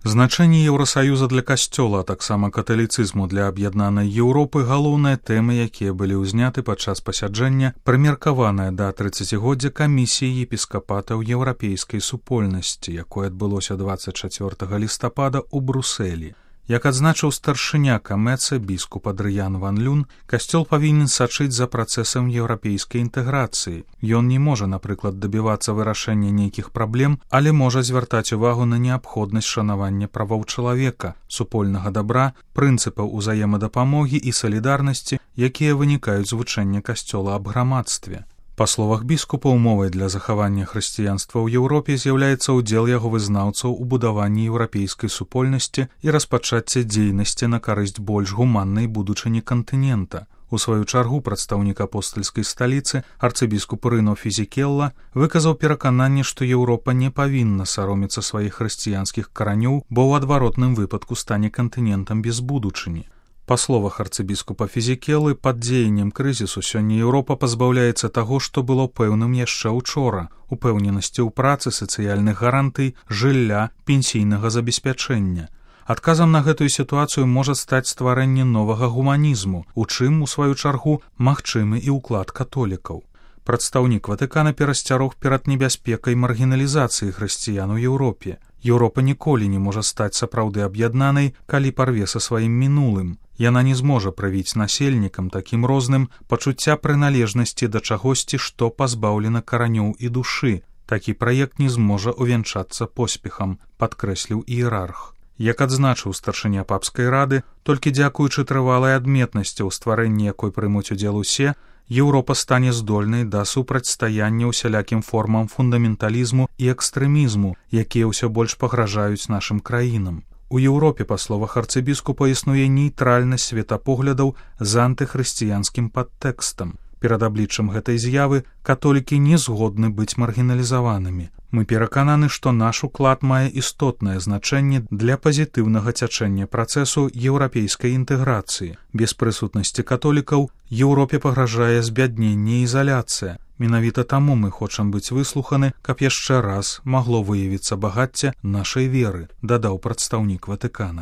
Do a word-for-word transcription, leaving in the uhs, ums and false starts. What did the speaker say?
Значэнне Еўрасаюза для касцёла, а таксама каталіцызму для аб'яднанай Еўропы галоўныя тэмы, якія былі ўзняты падчас пасяджэння, прымеркаванае да трыццацігоддзя камісіі епіскапатаў еўрапейскай супольнасці, якое адбылося дваццаць чацвёртага лістапада ў Брусэлі. Як адзначыў старшыня Камэца біскуп Адрыян ван Люн, касцёл павінен сачыць за працэсам еўрапейскай інтэграцыі. Ён не можа, напрыклад, дабівацца вырашэння нейкіх праблем, але можа звяртаць увагу на неабходнасць шанавання правоў чалавека, супольнага дабра, прынцыпаў узаемадапамогі і салідарнасці, якія вынікаюць з вучэння касцёла аб грамадстве. Па словах біскупа, умовай для захавання хрысціянства ў Еўропе з'яўляецца ўдзел яго вызнаўцаў у будаванні еўрапейскай супольнасці і распачацце дзейнасці на карысць больш гуманнай будучыні кантынента. У сваю чаргу прадстаўнік апостальскай сталіцы, арцыбіскуп Рыно Фізікелла, выказаў перакананне, што Еўропа не павінна саромецца сваіх хрысціянскіх каранёў, бо ў адваротным выпадку стане кантынентам без будучыні. Па словах арцыбіскупа Фізікелы, пад дзеяннем крызісу сёння Еўропа пазбаўляецца таго, што было пэўным яшчэ ўчора – упэўненасці ў працы, сацыяльных гарантый, жылля, пенсійнага забеспячэння. Адказам на гэтую сітуацыю можа стаць стварэнне новага гуманізму, у чым, у сваю чаргу, магчымы і ўклад католікаў. Прадстаўнік Ватыкана перасцярог перад небяспекай маргіналізацыі хрысціян у Еўропе. Еўропа ніколі не можа стаць сапраўды аб'яднанай, калі парве са сваім мінулым. Яна не зможа правіць насельнікам такім розным пачуцця прыналежнасці да чагосьці, што пазбаўлена каранёў і душы. Такі праект не зможа увянчацца поспехам, падкрэсліў іерарх. Як адзначыў старшыня папскай рады, толькі дзякуючы трывалай адметнасці ў стварэнні якой прымуць удзел усе, Еўропа стане здольнай да супрацьстаяння усялякім формам фундаменталізму і экстрэмізму, якія ўсё больш пагражаюць нашым краінам. У Еўропе, па словах арцыбіскупа, існуе нейтральнасць светапоглядаў з антыхрысціянскім падтэкстам. Перад абліччам гэтай з'явы католікі не згодны быць маргіналізаванымі. Мы перакананы, што наш уклад мае істотнае значэнне для пазітыўнага цячэння працэсу еўрапейскай інтэграцыі. Без прысутнасці католікаў Еўропе пагражае збядненне і ізаляцыя. Менавіта таму мы хочам быць выслуханы, каб яшчэ раз магло выявіцца багацце нашай веры, дадаў прадстаўнік Ватыкана.